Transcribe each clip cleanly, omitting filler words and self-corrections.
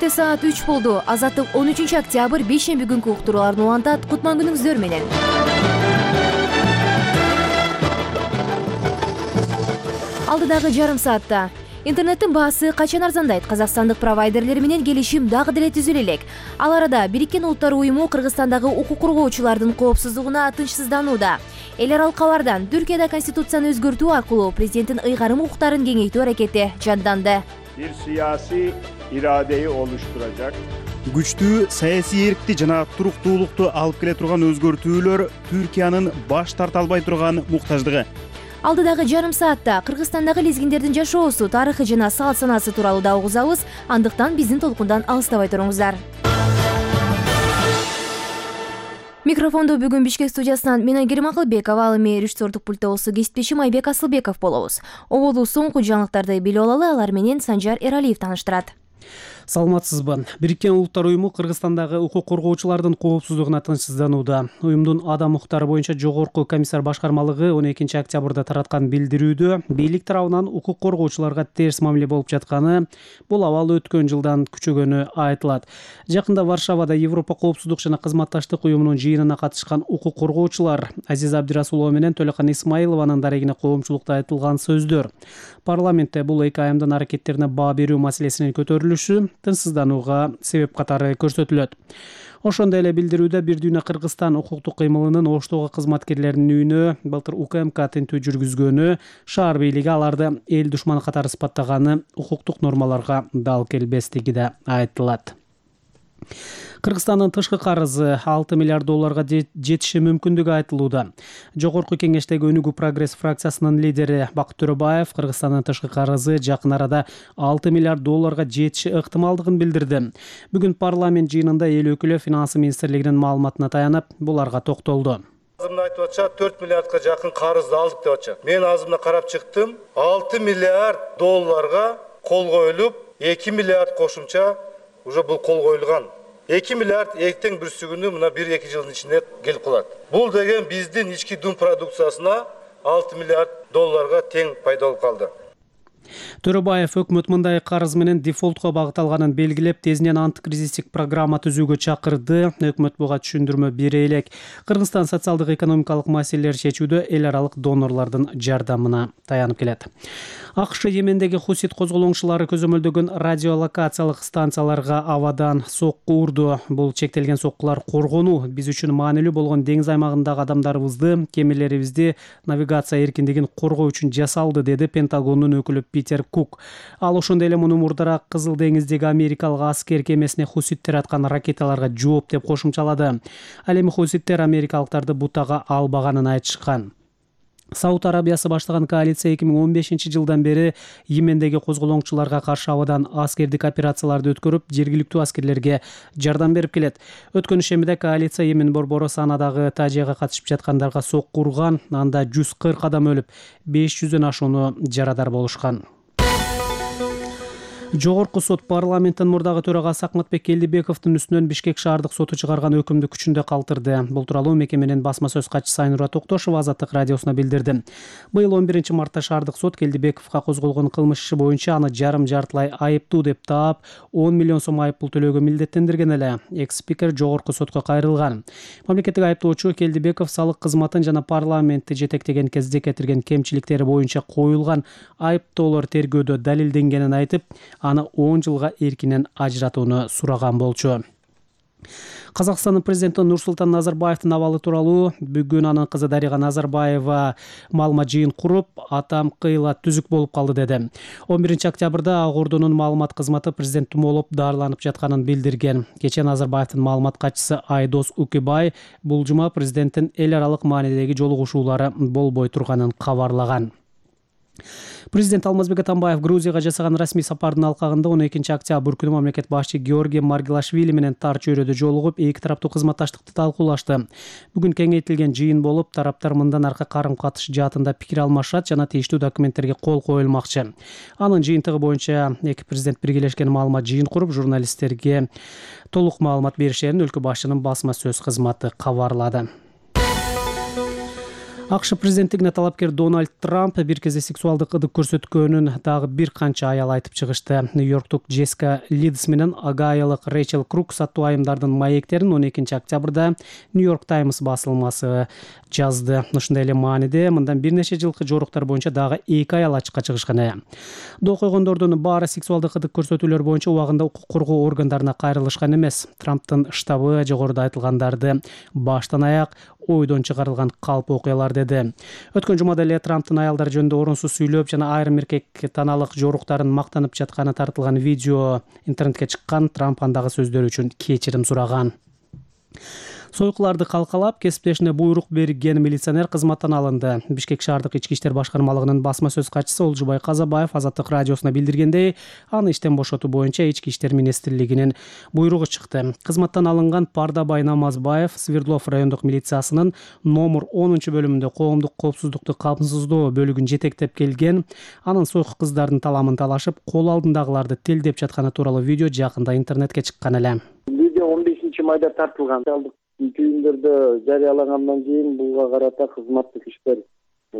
Четте саат 3 болду. Азаттык 13 октябрь бейшемби күнкү уктурууларды улантат. Кутман күнүңүздөр менен. Алдыдагы жарым саатта интернеттин баасы качан арзандайт? Казакстандык провайдерлер менен келишим дагы деле түзүлө элек. Ал арада Бириккен Улуттар уюму Кыргызстандагы укук коргоочулардын коопсуздугуна тынчсызданууда. Эл аралык кабардан Түркияда конституцияны өзгөртүү аркылуу президенттин ыйгарым укуктарын кеңейтүү аракети жанданды. Bir siyasi iradeyi oluşturacak. Күчтүү саясий эркти жана туруктуулукту алып келе турган өзгөртүүлөр Түркиянын баш тарта албай турган муктаждыгы. Алдыдагы жарым саатта Кыргызстандагы лезгиндердин жашоосу, тарыхы жана салт санаасы тууралуу да угузабыз. Андыктан биздин толкундан алыстабай туруңуздар. Микрофондо бүгүн Бишкек студиясынан мен Айгерим Акылбекова, ал эми режиссердук пульттобусу кесиптешим Айбек Асылбеков болобуз. Оболу соңку жаңылыктарды билип алалы, алар менен Санжар Эралиев тааныштырат. Саламатсызбы. Бириккен Улуттар уюму Кыргызстандагы укук коргоочулардын коопсуздугуна тынчсызданууда. Уюмдун адам укуктары боюнча жогорку комиссар башкармалыгы 12 октябрда тараткан билдирүүдө бийлик тарабынан укук коргоочуларга терс мамиле болуп жатканы, бул абал өткөн жылдан күчөгөнү айтылат. Жакында Варшавада Европа коопсуздук жана кызматташтык уюмунун жыйынына катышкан укук коргоочулар Азиза Абдирасулова менен Төлөкан Исмаилованын дарегине коомчулукта айтылган сөздөр. Парламентте бул эки айымдын аракеттерине баа берүү маселесинин көтөрүлүшү тынчсызданууга себеп катары көрсөтүлөт. Ошондой эле билдирүүдө Бир дүйнө Кыргызстан укуктук кыймылынын Оштогу кызматкерлеринин үйүнө былтыр УКМК тинтүү жүргүзгөнү, шаар бийлиги аларды эл душманы катары сыпаттаганы укуктук нормаларга дал келбестиги да айтылат. Кыргызстандын тышкы карызы 6 миллиард долларга жетиши мүмкүндүгү айтылууда. Жогорку кеңештеги Өнүгүү прогресс фракциясынын лидери Бакыт Төрөбаев Кыргызстандын тышкы карызы жакын арада 6 миллиард долларга жетиши ыктымалдыгын билдирди. Бүгүн парламент жыйынында эл өкүлү финансы министрлигинин маалыматына таянып, буларга токтолду. Азымда айтып атча 4 миллиардка жакын карызды алдык деп атча. Мен азымда карап чыктым. 6 миллиард долларга кол коюлуп, 2 миллиард кошумча уже бул кол коюлган. 2 миллиард эртең бүрсүгүнү мына 1-2 жылдын ичинде келип калат. Бул деген биздин ички дум продукциясына 6 миллиард долларга тең пайда болуп калды. Төрөбаев өкмөт мындай карыз менен дефолтко багытталганын белгилеп, тезинен антикризистик программа түзүүгө чакырды. Өкмөт буга түшүндүрмө бере элек. Кыргызстан социалдык экономикалык маселелерди чечүүдө эл аралык донорлордун жардамына таянып келет. АКШ Йемендеги хусит козголоңчулары көзөмөлдөгөн радиолокациялык станцияларга абадан сокку урду. Бул чектелген соккулар коргонуу биз үчүн маанилүү болгон деңиз аймагындагы адамдарыбызды, кемелерибизди навигация эркиндигин коргоо үчүн жасалды, деди Пентагондун өкүлү Питер Кук. Ал ошондой эле муну мурдараак Кызыл деңиздеги америкалык аскер кемесине хуситтер аткан ракеталарга жооп деп кошумчалады. Ал эми хуситтер америкалыктарды бутага албаганын айтышкан. Сауд Арабиясы баштаган коалиция 2015 жылдан бери Йемендеги козголоңчуларга каршы абадан аскердик операцияларды өткөрүп, жергиликтүү аскерлерге жардам берип келет. Өткөн ишембиде коалиция Йемен борбору Санадагы тажияга катышып жаткандарга сокку урган, анда 140 адам өлүп, 500дөн ашууну жарадар болушкан. Жогорку сот парламенттин мурдагы төрагасы Акматбек Келдибековдун үстүнөн Бишкек шаардык соту чыгарган өкүмдү күчүндө калтырды. Бул тууралуу мекеменин басма сөз катчысы Айнура Токтошова Азаттык радиосуна билдирди. Быйыл 11 мартта шаардык сот Келдибековго козголгон кылмыш иши боюнча аны жарым-жартылай айыптуу деп таап, 10 миллион сом айыппул төлөөгө милдеттендирген эле. Экс-спикер жогорку сотко кайрылган. Мамлекеттик айыптоочу Келдибеков салык кызматын жана парламентти жетектеген кезде кетирген кемчиликтери боюнча коюлган айыптоолор тергөөдө далилденгенин айтып, аны 10 жылга эркинен ажыратууну сураган болчу. Казакстандын президенти Нурсултан Назарбаевдин абалы тууралуу бүгүн анын кызы Дарига Назарбаева маалымат жыйын куруп, атам кыйла түзүк болуп калды деди. 11 октябрда Ак Ордунун маалымат кызматы президент тумоолоп дарыланып жатканын билдирген. Кечээ Назарбаевдин маалымат катчысы Айдос Укибай бул жума президенттин эл аралык маанидеги жолугушуулары болбой турганын кабарлаган. Президент Алмазбек Атамбаев Грузияга жасаган расмий сапардын алкагында 12 октябрь күнү мамлекет башчы Георгий Маргелашвили менен тар чөйрөдө жолугуп, эки тараптуу кызматташтыкты талкуулашты. Бүгүн кеңейтилген жыйын болуп, тараптар мындан аркы карым-катыш жаатында пикир алмашат жана тийиштүү документтерге кол коюлмакчы. Анын жыйынтыгы боюнча эки президент биргелешкен маалымат жыйын куруп, журналисттерге толук маалымат беришерин өлкө башчынын басма сөз кызматы кабарлады. АКШ президенттигине талапкер Дональд Трамп бир кезде сексуалдык ыдык көрсөткөнүн дагы бир канча аял айтып чыгышты. Нью-Йорктук Джессика Лидс менен Огайолук Рэйчел Крук саттуу айымдардын маектерин 12 октябрда Нью-Йорк Таймс басылмасы жазды. Ушундай эле мааниде мындан бир нече жылкы жоруктар боюнча дагы 2 аял ачыкка чыгышкан. Доо койгондордун баары сексуалдык ыдык көрсөтүүлөр боюнча убагында укук коргоо органдарына кайрылышкан эмес. Трамптын штабы жогоруда айтылгандарды баштан аяк ойдон чыгарылган калп окуялар деди. Өткөн жумада эле Трамптын аялдар жөнүндө орунсуз сүйлөп жана айрым эркек таналык жоруктарын мактанып жатканы тартылган видео интернетке чыккан. Трамп андагы сөздөрү үчүн кечирим сураган. Сойкуларды калкалап, кесиптешине буйрук берген милиционер кызматтан алынды. Бишкек шаардык ички иштер башкармалыгынын басма сөз катчысы Олжубай Казабаев Азаттык радиосуна билдиргендей, аны иштен бошотуу боюнча ички иштер министрлигинин буйругу чыкты. Кызматтан алынган Пардабай Намазбаев Свердлов райондук милициясынын номер 10-бөлүмүндө коомдук коопсуздукту камсыздоо бөлүгүн жетектеп келген. Анын сойку кыздардын таламын талашып, кол алдындагыларды тилдеп жатканы тууралуу видео жакында интернетке чыккан эле. Видео 15-майда тартылган. Түйүндөрдө жарыялагандан кийин буга карата кызматтык иштер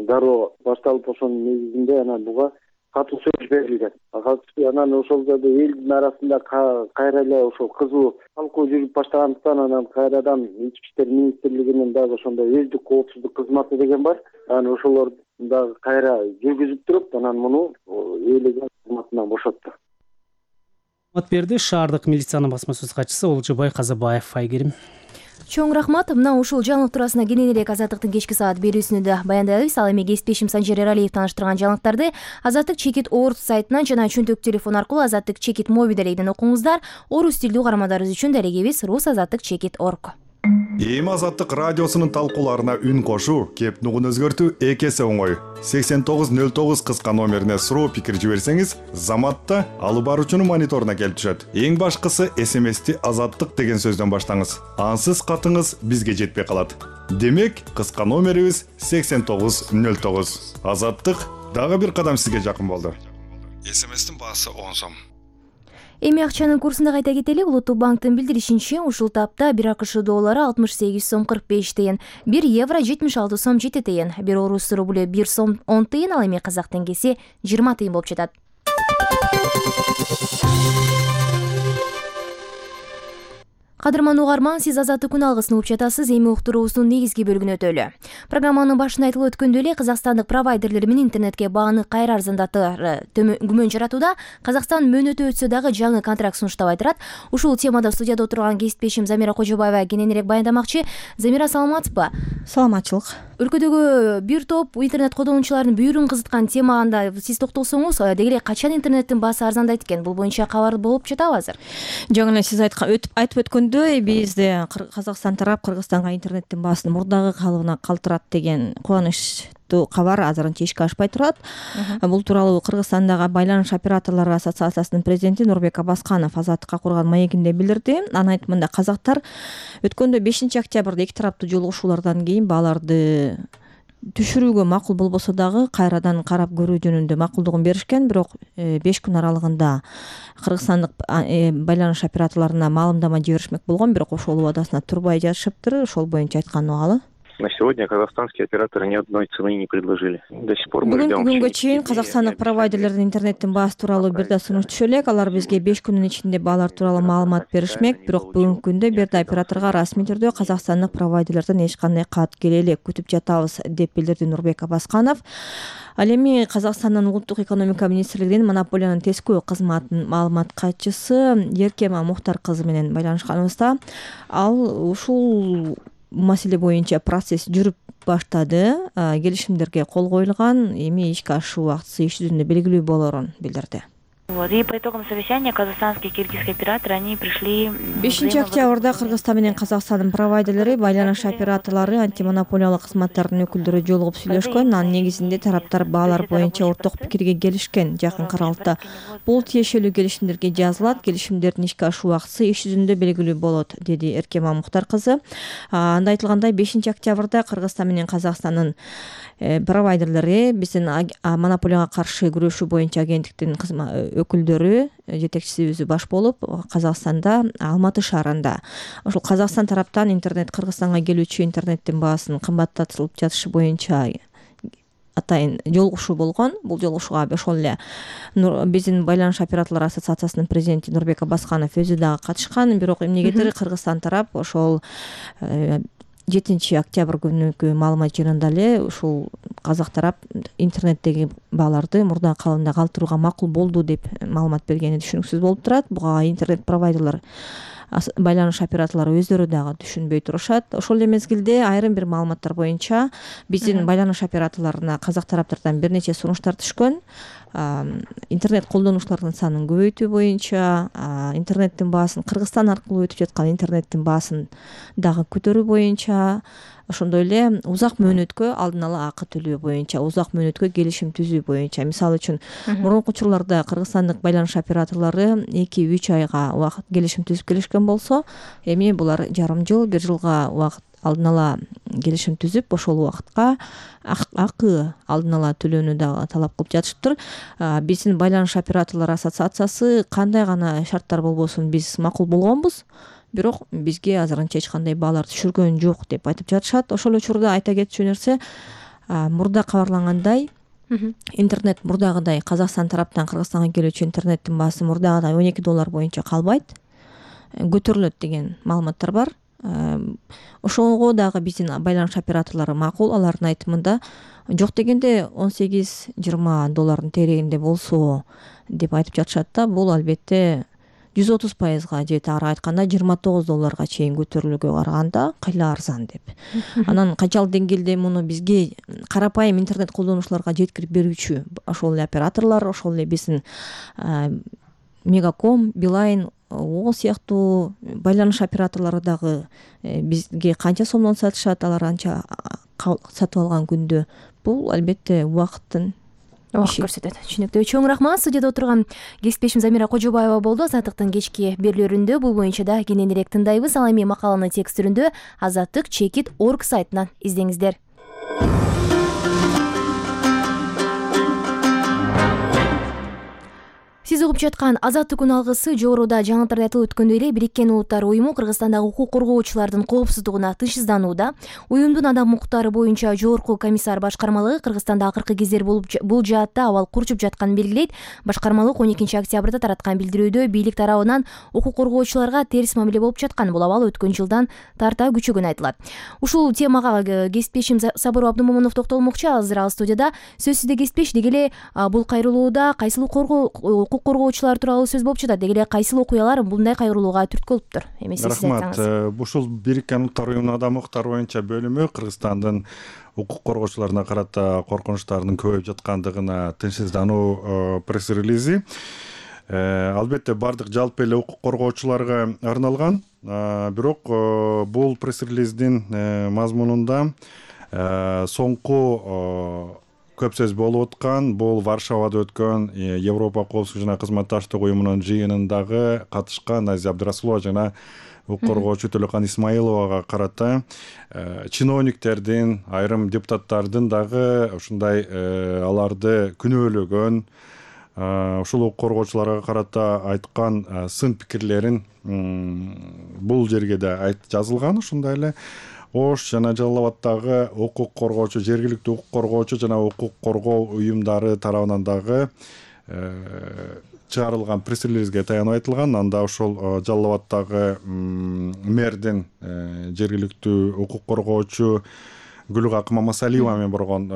дароо башталып ошонун негизинде анан буга катуу сөз берилген. Анан ошол жерде элдин арасында кайра эле ошол кызуу талкуу жүрүп баштагандыктан анан кайрадан ички иштер министрлигинин дагы ошондой өздүк коопсуздук кызматы деген бар. Анан ошолор дагы кайра жүргүзүп туруп, анан муну ээлеген кызматынан бошотту. Мат берди шаардык милициянын басма сөз катчысы Олжубай Казабаев. Айгерим. Чоң рахмат. Мына ушул жаңылык туурасында кенен эле Азаттыктын кечки саат берүүсүндө да баяндадыбыз. Ал эми кесиптешим Санжар Эралиев таныштырган жаңылыктарды Азаттык Чекит Орус сайтынан жана чөнтөк телефон аркылуу Азаттык Чекит моби дарегинен окуңуздар. Орус тилдүү угармандарыбыз үчүн дарегибиз rusazattikchekit.org. Эми Азаттык радиосунун талкууларына үн кошуу, кеп нугун өзгөртүү экесе оңой. 8909 кыска номерине суроо пикир жиберсеңиз, заматта алып баруучунун мониторуна келип түшөт. Эң башкысы СМСти Азаттык деген сөздөн баштаңыз. Ансыз катыңыз бизге жетпей калат. Демек, кыска номерибиз 8909. Азаттык дагы бир кадам сизге жакын болду. СМСтин баасы 10 сом. Эми акчанын курсунда кайта кетели. Улуттук банктын билдиришинче, ушул тапта 1 АКШ доллары 68 сом 45 тыйын, 1 евро 76 сом 7 тыйын, 1 орус рубль 1 сом 10 тыйын, ал эми казак теңгеси 20 тыйын болуп жатат. Кадырман угарман, сиз Азаттык күн алгысын угуп жатасыз. Эми уктуруубуздун негизги бөлүгүнө өтөлү. Программанын башында айтылып өткөндөй эле, казакстандык провайдерлер менен интернетке бааны кайра арзандатыр күмөн жаратууда. Казакстан мөөнөтү өтсө дагы жаңы контракт сунуштабай турат. Ушул темада студияда отурган кесиптешим Замира Кожобаева кененирээк баяндамакчы. Замира, саламатсызбы? Саламатчылык. Өлкөдөгү бир топ интернет колдонуучулардын бүйүрүн кызыткан темада сиз токтолсоңуз, деги эле качан интернеттин баасы арзандайт экен? Бул боюнча кабар болуп жатабы азыр? Жаңы эле сиз айтып өткөндөй, бизде Казакстан тарап Кыргызстанга интернеттин баасын мурдагы калыбына калтырат деген кубанычтуу кабар азырынча ишке ашпай турат. Бул тууралуу Кыргызстандагы байланыш операторлору ассоциациясынын президенти Нурбек Абасканов Азаттыкка курган маегинде билдирди. Анын айтымында казактар өткөндө 5 октябрда эки тараптуу жолугушуулардан кийин бааларды түшүрүүгө макул болбосо дагы кайрадан карап көрүү жөнүндө макулдугун беришкен. Бирок 5 күн аралыгында кыргызстандык байланыш операторлоруна маалымдама жиберишмек болгон, бирок ошол убадасына турбай жатышыптыр. Ошол боюнча айтканы угалы. На сегодня казахстанские операторы ни одной цены не предложили. До сих пор мы ждем. Бүгүнкү күнгө чейин казакстандык провайдерлердин интернеттин баасы тууралуу бир да сунуш түшө элек. Алар бизге 5 күнүн ичинде баалар тууралуу маалымат беришмек. Бирок бүгүнкү күндө бир да операторго расмий түрдө казакстандык провайдерлерден эч кандай кат келе элек. Күтүп жатабыз деп билдирди Нурбек Абасканов. Ал эми Казакстандын улуттук экономика министрлигинин монополиянын тескөө кызматынын маалымат катчысы Еркема Мухтар кызы менен байланышканыбызда, ал ушул маселе боюнча процесс жүрүп баштады, келишимдерге кол коюлган, эми ишке ашуу убактысы иш жүзүндө белгилүү болорун билдирди. И по итогам совещания казахстанские и киргизские операторы они пришли 5 октябрда Кыргызстан менен Казакстандын провайдерлери, байланыш операторлору, антимонополиялык кызматтардын өкүлдөрү жолугуп сүйлөшкөн. Анын негизинде тараптар баалар боюнча орток пикирге келишкен. Жакынкы аралыкта бул тиешелүү келишимдерге жазылат, келишимдердин ишке ашуу убактысы иш жүзүндө белгилүү болот, деди Эркема Мухтар кызы. Анда айтылгандай 5 октябрда Кыргызстан менен Казакстандын провайдерлери биздин монополияга каршы күрөшүү боюнча агенттиктин өкүлдөрү жетекчиси баш болуп Казакстанда Алматы шаарында ошол Казакстан тараптан Кыргызстанга келүүчү интернеттин баасын кымбаттатылып жатышы боюнча атайын жолугушуу болгон. Бул жолугушууга ошол эле биздин байланыш операторлору ассоциациясынын президенти Нурбек Аббасканов өзү дагы катышкан. Бирок эмнегедир Кыргызстан тарап ошол 7 октябрь күнүкү маалымат жыйынында эле ушул казак тарап интернеттеги бааларды мурдагы калыбында калтырууга макул болду деп маалымат бергени түшүнүксүз болуп турат. Буга интернет провайдерлер, байланыш операторлору өздөрү дагы түшүнбөй турушат. Ошол эле мезгилде айрым бир маалыматтар боюнча биздин байланыш операторлоруна казак тараптардан бир нече сунуштар түшкөн. Интернет колдонуучулардын санын көбөйтүү боюнча, интернеттин баасын Кыргызстан аркылуу өтүп жаткан интернеттин баасын дагы көтөрүү боюнча, ошондой эле узак мөөнөткө алдын ала акы төлөө боюнча, узак мөөнөткө келишим түзүү боюнча. Мисалы үчүн мурунку учурларда кыргызстандык байланыш операторлору 2-3 айга убакыт келишим түзүп келишкен болсо, эми булар жарым жыл, 1 жылга убакыт алдын ала келишим түзүп, ошол убакытка акы алдын ала төлөөнү дагы талап кылып жатышыптыр. Биздин байланыш операторлору ассоциациясы кандай гана шарттар болбосун биз макул болгонбуз, бирок бизге азырынча эч кандай баалар түшүргөн жок деп айтып жатышат. Ошол учурда айта кетчү нерсе, мурда кабарлангандай интернет мурдагыдай Казакстан тараптан Кыргызстанга келүүчү интернеттин баасы мурдагыдай $12 боюнча калбайт, көтөрүлөт деген маалыматтар бар. Ошого дагы биздин байланыш операторлору макул. Алардын айтымында жок дегенде $18-20 терегинде болсо деп айтып жатышат да. Бул албетте 130%га же ары айтканда $29 чейин көтөрүлүүгө караганда кайла арзан деп. Анан канчалык деңгээлде муну бизге карапайым интернет колдонуучуларга жеткирип берүүчү ошол эле операторлор, ошол эле биздин Мегаком, Билайн, О сыяктуу байланыш операторлору дагы бизге канча сомдон сатышат, алар анча сатып алган күндө. Бул албетте убакыттын көрсөтөт. Түшүнүктүү. Чоң рахмат. Студияда отурган кесиптешим Замира Кожобаева болду. Азаттыктын кечки берүүлөрүндө бул боюнча да кененирээк тындайбыз. Ал эми макаланы текст түрүндө azattik.org сайтынан издеңиздер. Сиз угуп жаткан Азаттык күн алгысы жогоруда жаңылыктарда айтылып өткөндөй эле Бириккен Улуттар уюму Кыргызстандагы укук коргоочулардын коопсуздугуна тынчсызданууда. Уюмдун адам укуктары боюнча жогорку комиссар башкармалыгы Кыргызстанда акыркы кездер бул жаатта абал курчуп жатканын белгилейт. Башкармалык 12 октябрда тараткан билдирүүдө бийлик тарабынан укук коргоочуларга терс мамиле болуп жаткан. Бул абал өткөн жылдан тарта күчөгөнү айтылат. Ушул темага кесиптешим Сабыр Абдымомунов токтолмокчу. Азыр ал студияда. Сөз сизде кесиптеш. Деги эле бул кайрылууда кайсыл укук коргоочулар тууралуу сөз болуп жатат. Деги эле кайсыл окуялар мындай кайрылууга түрткү болуптур? Эми сиз айтсаңыз. Рахмат. Ушул Бириккен Улуттар уюмунун адам укуктары боюнча бөлүмү Кыргызстандын укук коргоочуларына карата коркунучтардын көбөйүп жаткандыгына тынчсыздануу пресс-релизи. Албетте бардык жалпы эле укук коргоочуларга арналган. Бирок бул пресс-релиздин мазмунунда соңку көп сөз болуп аткан, бул Варшавада өткөн Европа коопсуздук жана кызматташтык уюмунун жыйынындагы катышкан Азия Абдрасулова жана укук коргоочу Төлөкан Исмаиловага карата чиновниктердин, айрым депутаттардын дагы ушундай аларды күнөөлөгөн, ушул укук коргоочуларга карата айткан сын пикирлерин бул жерге да жазылган. Ушундай эле Ош жана Жалал Абаддагы укук коргоочу, жергиликтүү укук коргоочу жана укук коргоо уюмдары тарабынан дагы чыгарылган пресс-релизге таянып айтылган. Анда ошол Жалал Абаддагы мэрдин жергиликтүү укук коргоочу Гүлгак Мамасалиева менен болгон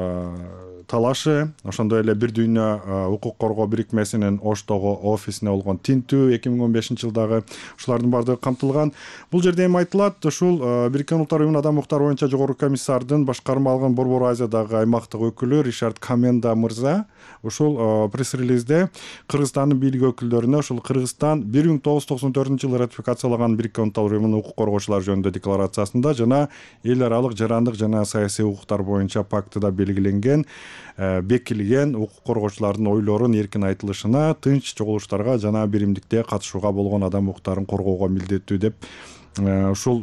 талашы, ошондой эле бир дүйнө укук коргоо бирикмесинин Оштогу офисине болгон тинтүү 2015 жылдагы ушулардын баардыгы камтылган. Бул жерде эми айтылат, ушул Бириккен Улуттар уюмунун адам укуктары боюнча жогорку комиссардын башкармалыгынын Борбор Азиядагы аймактык өкүлү Ришард Каменда мырза ушул пресс-релизде Кыргызстандын бийлик өкүлдөрүнө ушул Кыргызстан 1994 жылы ратификациялаган Бириккен Улуттар уюмунун укук коргоочулар жөнүндө декларациясында жана эл аралык жарандык жана саясий укуктар боюнча пактыда белгиленген бекилген укук коргоочулардын ойлорун эркин айтылышына, тынч чогулуштарга жана биримдикте катышууга болгон адам укуктарын коргоого милдеттүү деп ушул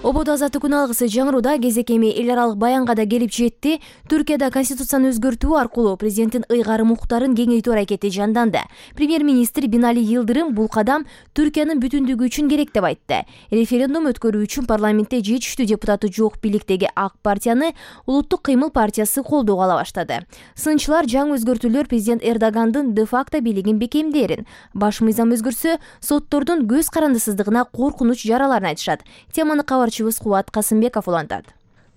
Ободо азаттык күн алгысы жаңырууда кезек эми эл аралык баянга да келип жетти. Түркияда конституцияны өзгөртүү аркылуу президенттин ыйгарым укуктарын кеңейтүү аракети жанданды. Премьер-министр Бинали Йылдырым бул кадам Түркиянын бүтүндүгү үчүн керек деп айтты. Референдум өткөрүү үчүн парламентте жетиштүү депутаты жок бийликтеги ак партияны Улуттук кыймыл партиясы колдоого ала баштады. Сынчылар жаңы өзгөртүүлөр президент Эрдогандын де-факто бийлигин бекемдээрин, баш мыйзам өзгөрсө соттордун көз карандысыздыгына коркунуч жараларын айтышат. Теманы Кубат Касымбеков улантат.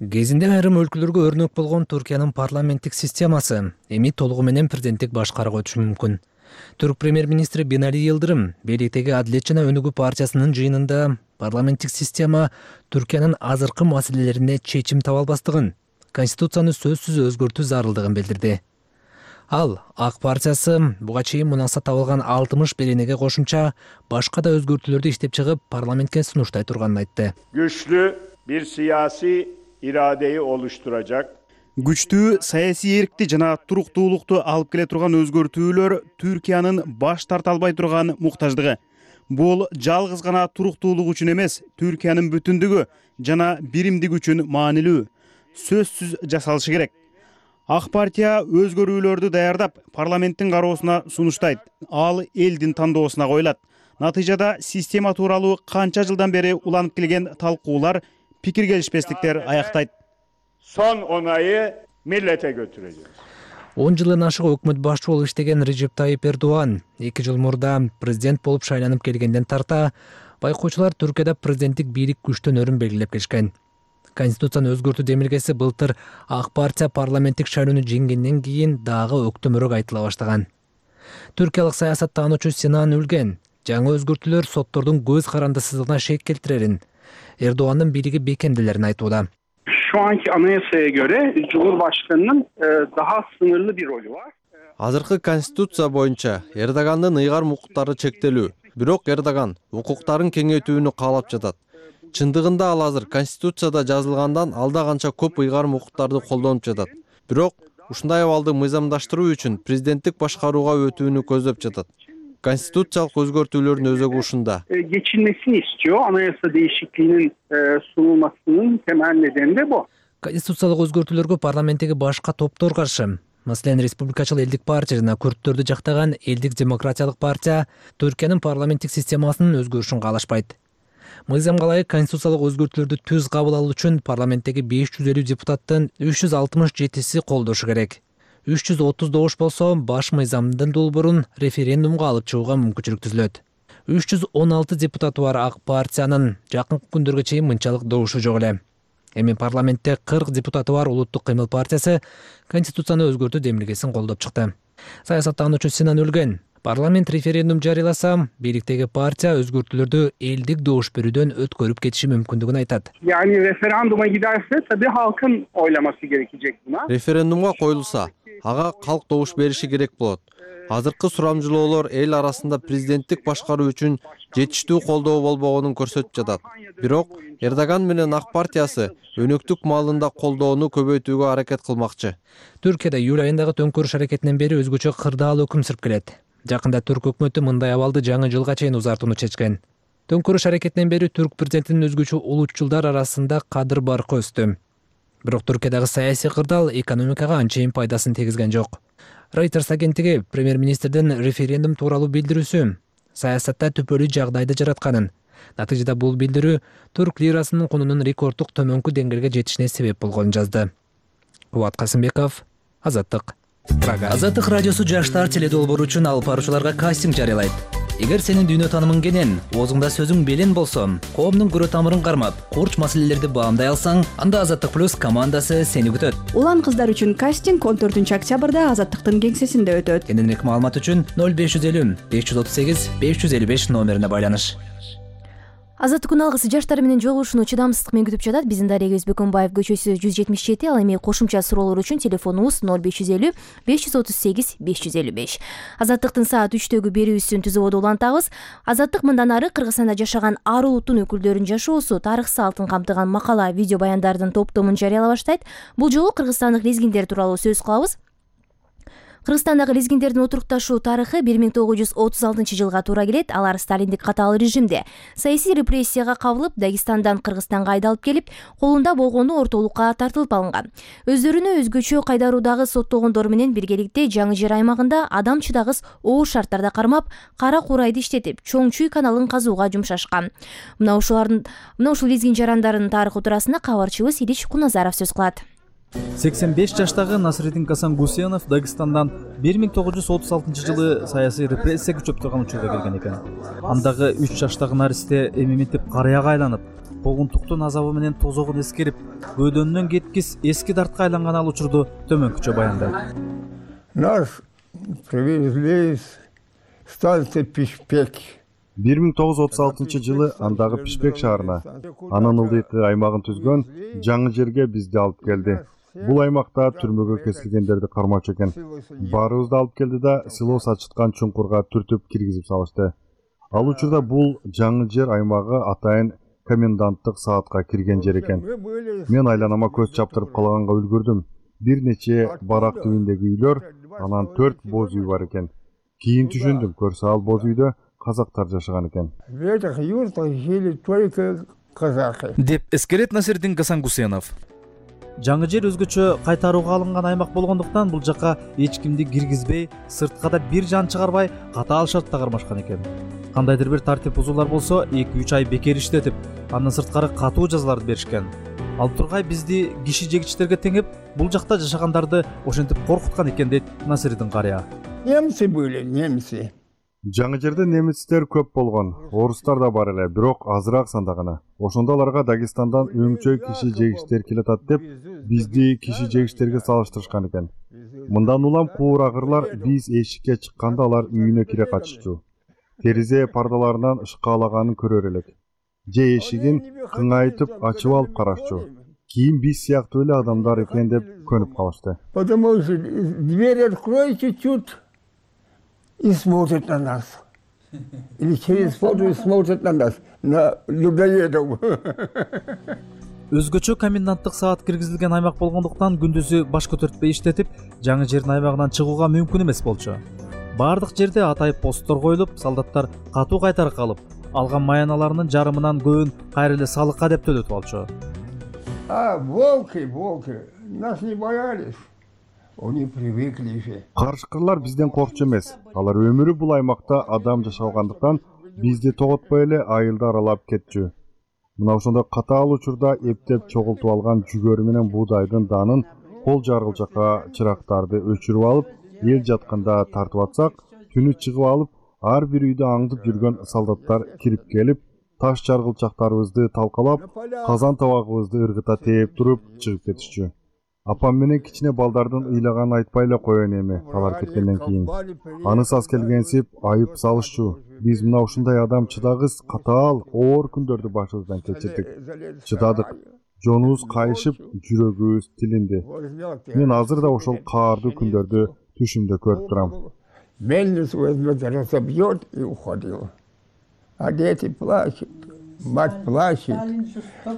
Кезинде айрым өлкөлөргө өрнөк болгон Түркиянын парламенттик системасы эми толугу менен президенттик башкарууга өтүшү мүмкүн. Түрк премьер-министри Бинали Йылдырым бийликтеги Адилет жана Өнүгүү партиясынын жыйынында парламенттик система Түркиянын азыркы маселелерине чечим таба албастыгын, конституцияны сөзсүз өзгөртүү зарылдыгын билдирди. Ал ак партиясы буга чейин мунаксат табылган 60 беренеге кошумча башка да өзгөртүүлөрдү иштеп чыгып парламентке сунуштай турганын айтты. Güçlü bir siyasi iradeyi oluşturacak. Күчтүү саясий эркти жана туруктуулукту алып келе турган өзгөртүүлөр Түркиянын баш тарта албай турган муктаждыгы. Бул жалгыз гана туруктуулук үчүн эмес, Түркиянын бүтүндүгү жана биримдиги үчүн маанилүү. Сөзсүз жасалышы керек. Ак партия өзгөрүүлөрдү даярдап, парламенттин кароосуна сунуштайт. Ал элдин тандоосуна коюлат. Натыйжада система тууралуу канча жылдан бери уланып келген талкуулар, пикир келишпестиктер аяктайт. Son onayı millete götüreceğiz. 10 жылдан ашык өкмөт башчы болуп иштеген Режеп Тайип Эрдоган 2 жыл мурда президент болуп шайланып келгенден тарта байкоочулар Түркияда президенттик бийлик күчтөнөрүн белгилеп келишкен. Конституцияны өзгөртүү демилгеси былтыр ак партия парламенттик шайлоону жеңгенден кийин дагы өктөмүрөөк айтыла баштаган. Түркиялык саясаттануучу Синан Үлген жаңы өзгөртүүлөр соттордун көз карандысыздыгына шек келтирерин, Эрдогандын бийлиги бекемделерин айтууда. Şu anki anayasaya göre Cumhurbaşkanı'nın daha sınırlı bir rolü var. Азыркы конституция боюнча Эрдогандын ыйгарым укуктары чектелүү. Бирок Эрдоган укуктарын кеңейтүүнү каалап жатат. Чындыгында ал азыр конституцияда жазылгандан алда канча көп ыйгарым укуктарды колдонуп жатат. Бирок ушундай абалды мыйзамдаштыруу үчүн президенттик башкарууга өтүүнү көздөп жатат. Konstitusiялык өзгөртүүлөрдүн өзөгү ушунда. Geçilmesini istiyor. Anayasa değişikliğinin sunulmasının temel nedeni de bu. Конституциялык өзгөртүүлөргө парламенттеги башка топтор каршы. Маселен, Республикачыл элдик партия жана күрттөрдү жактаган Элдик демократиялык партия Түркиянын парламенттик системасынын өзгөрүшүн каалашпайт. Мыйзамга ылайык конституциялык өзгөртүүлөрдү түз кабыл алуу үчүн парламенттеги 550 депутаттын 367си колдошу керек. 330 добуш болсо баш мыйзамдын долбоорун референдумга алып чыгууга мүмкүнчүлүк түзүлөт. 316 депутаты бар ак партиянын жакынкы күндөргө чейин мынчалык добушу жок эле. Эми парламентте 40 депутаты бар Улуттук кыймыл партиясы конституцияны өзгөртүү демилгесин колдоп чыкты. Саясаттануучу Синан Үлген парламент референдум жарыяласа, бийликтеги партия өзгөртүүлөрдү элдик добуш берүүдөн өткөрүп кетиши мүмкүндүгүн айтат. Yani referanduma giderse tabii halkın oylaması gerekecek buna. Референдумга коюлса, ага калк добуш бериши керек болот. Азыркы сурамжылоолор эл арасында президенттик башкаруу үчүн жетиштүү колдоо болбогонун көрсөтүп жатат. Бирок Эрдоган менен ак партиясы өнөктүк маалында колдоону көбөйтүүгө аракет кылмакчы. Түркияда июль айындагы төңкөрүш аракетинен бери өзгөчө кырдаал өкүм сүрүп келет. Жакында түрк өкмөтү мындай абалды жаңы жылга чейин узартууну чечкен. Төңкөрүш аракетинен бери түрк президентинин өзгөчө улутчулдар арасында кадыр баркы өстү. Бирок Түркиядагы саясий кырдаал экономикага анчейин пайдасын тийгизген жок. Reuters агенттиги премьер-министрдин референдум тууралуу билдирүүсү саясатта түпөлүү жагдайды жаратканын, натыйжада бул билдирүү түрк лирасынын кунунун рекорддук төмөнкү деңгээлге жетишине себеп болгонун жазды. Кубат Касымбеков, Азаттык. Азаттык радиосу жаштар теледолбоору үчүн алып баруучуларга кастинг жарыялайт. Эгер сенин дүйнө таанымың кенен, оозуңда сөзүң белен болсо, коомдун көрө тамырын кармап, курч маселелерди баамдай алсаң, анда Азаттык плюс командасы сени күтөт. Улан кыздар үчүн кастинг 14-октябрда Азаттыктын кеңсесинде өтөт. Кененирээк маалымат үчүн 0550 538 555 номерине байланыш. Азаттык күн алгысы жаштар менен жолугушууну чыдамсыздык менен күтүп жатат. Биздин Дария Өзбекөнбаев көчөсү 177, ал эми кошумча суроолор үчүн телефонубуз 0550 538 555. Азаттыктын саат 3-төгү берүүсүн түзүүбөдө улантабыз. Азаттык мындан ары Кыргызстанда жашаган ар улуттун өкүлдөрүнүн жашоосу, тарых салтын камтыган макала, видео баяндардын топтомун жарыяла баштайт. Бул жолу кыргызстандык лезгиндер тууралуу сөз кылабыз. Кыргызстандагы лезгиндердин отурукташуу тарыхы 1936 жылга туура келет. Алар сталиндик катаал режимде саясий репрессияга кабылып, Дагестандан Кыргызстанга айдалып келип, колунда болгону ортолукка тартылып алынган. Өздөрүнө өзгөчө кайдаруудагы соттолгондор менен биргеликте Жаңы Жер аймагында адам чыдагыс оор шарттарда кармап, кара курайды иштетип, Чоң Чүй каналын казууга жумшашкан. Мына ушул лезгин жарандардын тарыхы туурасында кабарчыбыз Илич Куназаров сөз кылат. 85 жаштагы Насыридин Гасангусенов Дагестандан 1936 жылы саясий репрессия күчөп турган учурда келген экен. Андагы 3 жаштагы наристе эмимитип карыяга айланып, куугунтуктун азабы менен тозогун эскерип, бөөдөнүнөн кеткис эски дартка айланган ал учурду төмөнкүчө баяндайт. Нас привезли из станции Пишпек. 1936 жылы андагы Пишпек шаарына, анын ылдыйкы аймагын түзгөн Жаңы Жерге бизди алып келди. Бул аймакта түрмөгө кесилгендерди кармачу экен. Баарыбызды алып келди да силос ачыткан чуңкурга түртүп киргизип салышты. Ал учурда бул Жаңы Жер аймагы атайын коменданттык саатка кирген жер экен. Мен айланама көз чаптырып калганга үлгүрдүм. Бир нече барак түбүндөгү үйлөр, анан 4 боз үй бар экен. Кийин түшүндүм, көрсө ал боз үйдө казактар жашаган экен. В этих юртах жили только казахи. Деп эскерет Насыридин Гасангусенов. Жаңы Жер өзгөчө кайтарууга алынган аймак болгондуктан бул жака эч кимди киргизбей, сыртка да бир жан чыгарбай, катаал шартта кармашкан экен. Кандайдыр бир тартип бузуулар болсо, 2-3 ай бекер иштетип, андан сырткары катуу жазаларды беришкен. Ал тургай бизди киши жегичтерге теңеп, бул жакта жашагандарды ошентип коркуткан экен дейт Насыридин карыя. Немцы были, немцы. Жаңы Жерде немецтер көп болгон, орустар да бар эле, бирок азыраак санда гана. Ошондо аларга Дагестандан өңчөй киши жегичтер келатат деп, бизди киши жегичтерге салыштырышкан экен. Мындан улам куурагырлар биз эшикке чыкканда алар үйүнө кире каччу. Теризе пардаларынан ышкаалаганын көрөр элек. Же эшигин кыңайтып ачып алып карашчу. Кийин биз сыяктуу эле адамдар экен деп көнүп калышты. Потому что дверь открой чуть-чуть и смотрят на нас. Или через фото смотрят на нас, на людоедов. Өзгөчө коменданттык саат киргизилген аймак болгондуктан күндүзү баш көтөртпөй иштетип, Жаңы Жердин аймагынан чыгууга мүмкүн эмес болчу. Бардык жерде атайып посттор коюлуп, солдаттар катуу кайтарык алып, алган маяналарынын жарымынан көбүн кайра эле салыкка деп төлөтүп алчу. Волки, нас не боялись. Они привыкли же. Карышкырлар бизден коркчу эмес. Алар өмүрү бул аймакта адам жашагандыктан бизди тоготпой эле айылды аралап кетчү. Мына ошондой катаал учурда эптеп чогултуп алган жүгөрү менен буудайдын данын кол жаргылжакка чырактарды өчүрүп алып, эл жатканда тартып атсак, түнү чыгып алып, ар бир үйдө аңдып жүргөн солдаттар кирип келип, таш жаргылчактарыбызды талкалап, казан табагыбызды ыргыта тээп туруп чыгып кетишчү. Апам менен кичине балдардын ыйлаганын айтпай эле коеюн эми, алар кеткенден кийин. Аны саз келгенсип айып салышчу. Биз мына ушундай адам чыдагыс, катаал, оор күндөрдү башыбыздан кечирдик. Чыдадык. Жонубуз кайышып, жүрөгүбүз тилинди. Мен азыр да ошол каардуу күндөрдү түшүмдө көрүп турам. Мельницу возьмет, разобьет и уходил. А дети плачут, мать плачет.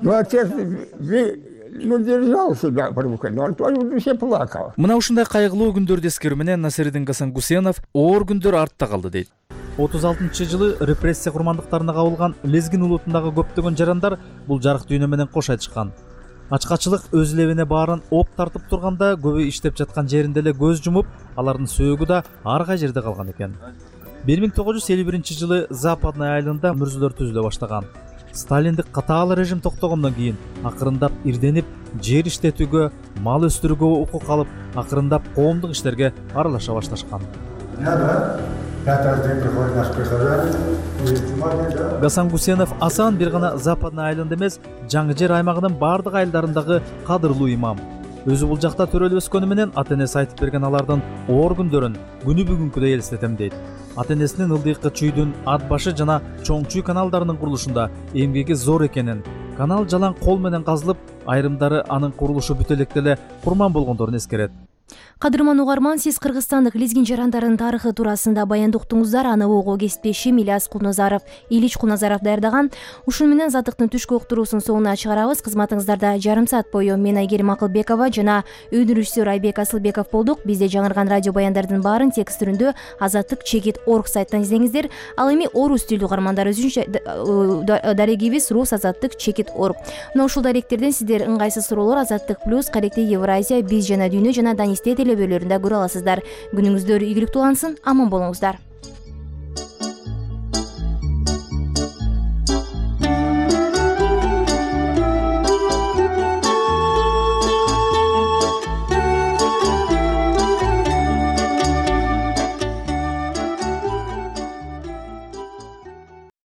Ну, отец держал себя в руках, но он тоже в душе плакал. Мына ушундай кайгылуу күндөрдү эскерүү менен Насыридин Гасангусенов оор күндөр артта калды дейт. 36-жылы репрессия курмандыктарына кабылган Лезгин улутундагы көптөгөн жарандар бул жарык дүйнө менен кош айтышкан. Ачкачылык өз лебине баарын оп тартып турганда көбү иштеп жаткан жеринде эле көз жумуп, алардын сөөгү да ар кай жерде калган экен. 1951-жылы Западный айылында мүрзөлөр түзүлө баштаган. Сталиндик катаал режим токтогондон кийин акырындап ирденип, жер иштетүүгө, мал өстүрүүгө укук алып, акырындап коомдук иштерге аралаша башташкан. Гасангусенов асан бир гана Западный айылында эмес, Жаңы Жер аймагынын бардык айылдарындагы кадырлуу имам. Өзү бул жакта төрөлүп өскөнү менен ата-энеси айтып берген алардын оор күндөрүн күнү бүгүнкүдөй элестетем дейт. Ата-энесинин ылдыйкы Чүйдүн Ат башы жана Чоң Чүй каналдарынын курулушунда эмгеги зор экенин, канал жалаң кол менен казылып, айрымдары анын курулушу бүтө электе эле курман болгондорун эскерет. Кадырман угарман, сиз кыргызстандык лезгин жарандардын тарыхы туурасында баяндоо уктуңуздар. Аны ого кесиптешим Ильич Куназаров даярдаган. Ушун менен Азаттыктын түшкү уктуруусун соңуна чыгарабыз. Кызматыңыздарда жарым саат бою мен Айгерим Акылбекова жана өндүрүүчүсү Айбек Асылбеков болдук. Бизде жаңырган радио баяндардын баарын текст түрүндө azattik.org сайттан излеңиздер. Ал эми орус тилдүү угармандар үчүн дарегибиз rus.azattik.org. Мына ушул даректерден сиздер ыңгайсыз суроолор Азаттык плюс, Каректи Евразия, Биз жана Дүйнө жана Данисте телебөрлөрүндө көрө аласыздар. Күнүңүздөр ийгиликтүү улансын, аман болуңуздар.